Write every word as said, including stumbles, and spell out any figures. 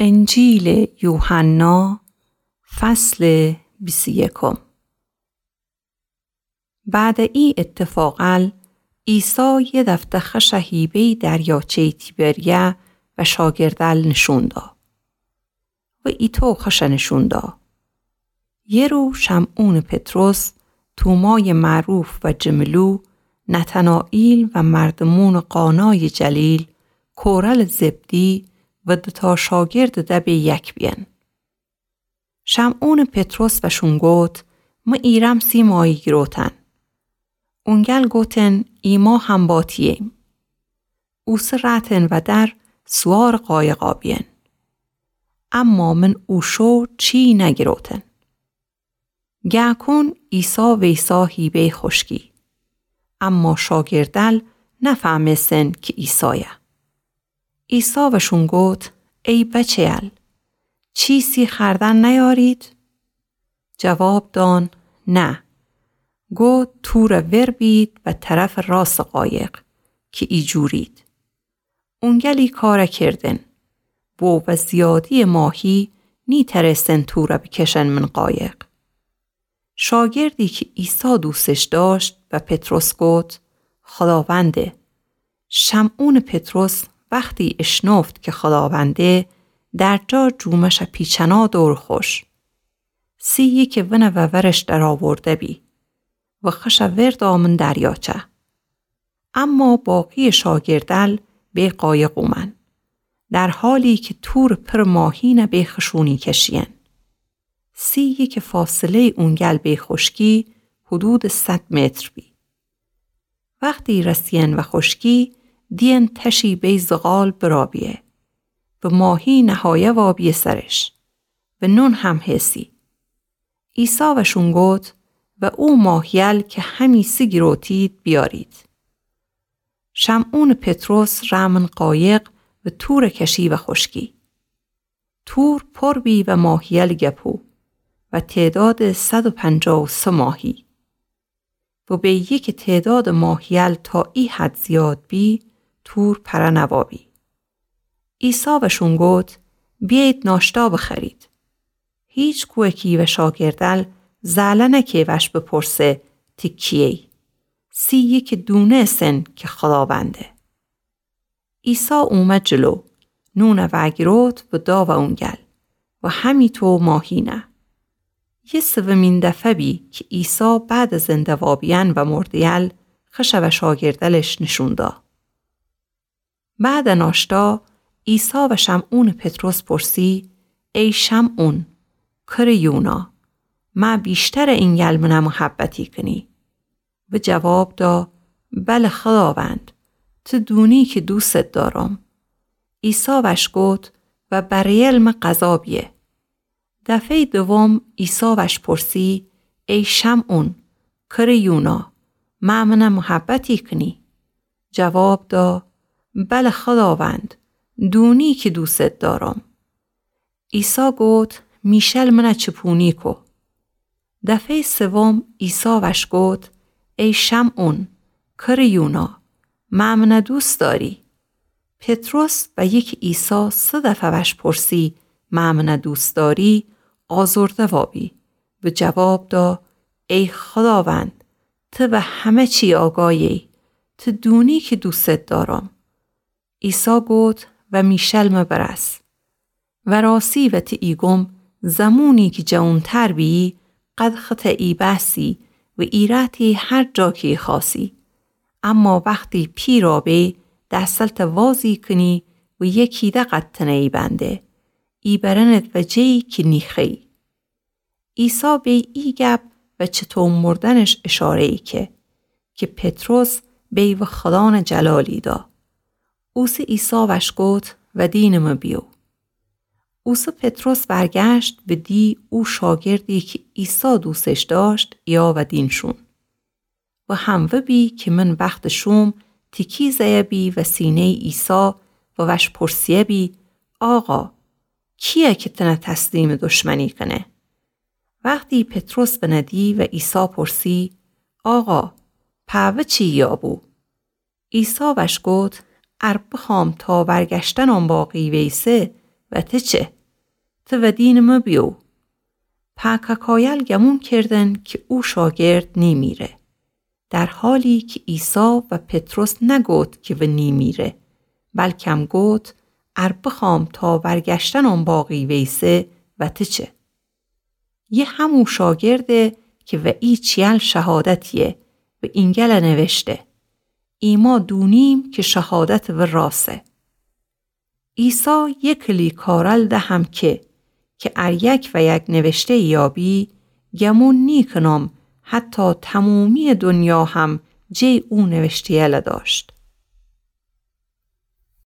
انجیلٚ یوحنا، فصلٚ بیست و یکم. بعدٚ ای ایتفاقأل، عیسی یه دفته خشٚ هیبه‌یٚ دریاچه‌یٚ تیبریا و شاگردأل نیشون دا. و ایتو خشٚ نیشون دا. یه رو شمعونٚ پطرس، تومایٚ معروف و جملو، نتنائیل و مردومونٚ قانایٚ جلیل، کورلٚ زبدی و دوتا شاگردٚ دبه یک بیین. شمعونٚ پطرس وأشون گفت: مه ایرم سی ماهی گیروتن. اونگل گوتن: ایما هم با تییم. اوسه رأتن ودر سوارٚ قایقا بیین. اما من او شو چی نگیروتن. گه کون عیسی ویسا هیبه‌یٚ خوشکی. اما شاگردأل نفهمستن کی عیسایه. عیسی وأشون گفت: ای بچه‌یأل، چیسی خوأردن نیأرید؟ جواب دان: نه. گفت: توره ور بید به طرفٚ راستٚ قایق کی ایجورید. اونگل ای کاره کردن. بو و زیادی‌یٚ ماهی نیتأنستن توره بیکشن من قایق. شاگردی کی عیسی دوستش داشت به پطرس گفت: خوداونده. شمعونٚ پطرس وختی اشنفت کی خوداونده، در جا جومشٚ پیچنا دورٚ خوش. سی یکی ونٚ وورش درآورده بی و خشٚ ور دامن دریاچه. اما باقی‌یٚ شاگردأل به قایق اومأن، در حالی کی تورٚ پر ماهینه به خشونی کشیین. سی یکی فاصله‌یٚ اونگل به خوشکی حدودٚ صد متر بی. وختی رسیین و خوشکی، دیین تشی به زغال برابیه و ماهی نهایه وابیه سرش و نون هم هسی. عیسی وأشون گفت: و او ماهیأل کی همی سی گیروتید بیأرید. شمعونٚ پطرس رأمن قایق و توره کشی و خوشکی. تور پر بی و ماهیأل گپو و تعدادٚ صد و پنجاه و سه ماهی. و به یکی تعدادٚ ماهیأل تا ای حد زیاد بی، تور پره نوابی. عیسی وأشون گفت: بیأیید ناشتا بخورید. هیچ کویکی و شاگردأل زأله نکه وأش بپرسه تی کییی. سی یکی دونستن کی خوداونده. عیسی اومه جلو، نونه وأگیروت و دا و اونگل و همیطو ماهینه. یه سومین دفعه بی کی عیسی بعدٚ زنده وابیأن و مرده‌یأل خشٚ و شاگردألش نیشون دا. بعدٚ ناشتا، عیسی و شمعونٚ پطرس پرسی: ای شمعون، کرٚ یونا، مه ویشترٚ اینگل منه محبتی کنی؟ و جواب دا: بله خوداوند، تو دونی کی دوستت دارم. عیسی وأش گفت: و بریل مه غذا بیه. دفعه‌یٚ دوم عیسی وأش پرسی: ای شمعون، کرٚ یونا، مه منه محبتی کنی؟ جواب دا: بله خوداوند، دونی کی دوستت دارم. عیسی گفت: میشل منه چپونی کو. دفعه‌یٚ سوم عیسی وأش گفت: ای شمعون، کرٚ یونا، مه منه دوست داری؟ پطرس وأیی کی عیسی سه دفعه وأش پرسی مه منه دوست داری، آزرده وابی و جواب دا: ای خوداوند، تو به همه چی آگاهی، تو دونی کی دوستت دارم. عیسی گفت: و میشل مه برس. وراسی وتی ایگم، زمونی کی جوونتر بیی، قد خطه ایبأسی و ایرأتی هر جا کی ایخوأسی. اما وختی پیرا بی، دسلته وازی کنی و یکی ده قد تنه ایبنده، ایبرنت و جه‌یی کی نیخوأیی. عیسی به ای گپ و چطو مردنش اشاره‌یی که، کی پطرس به و خودانه جلالی دا. اوسه عیسی وأش گفت: و دینٚ مه بیو. اوسه پطرس ورگشت و دی او شاگردی کی عیسی دوستش داشت، ایه و دین شون. و هموه بی کی من وختٚ شوم تیکی زیه بی و سینه‌یٚ عیسی و وأش پرسیه بی: آقا، کییه کی تنه تسلیمٚ دشمنی کنه؟ وختی پطرس ونه دی و عیسی پرسی: آقا، پا و چی یابو؟ عیسی وأش گفت: ار بخوأم تا ورگشتنم باقی ویسه، و ته چه؟ ته ودینٚ مه بیو. پاکاکایل گمون کردن کی او شاگرد نیمیره، در حالی کی عیسی و پطرس نگوت کی و نیمیره، بلکم گوت: ار بخوام تا ورگشتنم باقی ویسه، و ته چه؟ یه همو شاگرده کی و ای چیل شهادت یه و اینگل نوشته: ایما دونیم کی شهادتٚ و راسه. عیسی یه کلی کارل ده هم که، کی ار یک و یک نوشته یابی، گمون نیکنم حتی تمومی دنیا هم جی او نوشته‌یل داشت.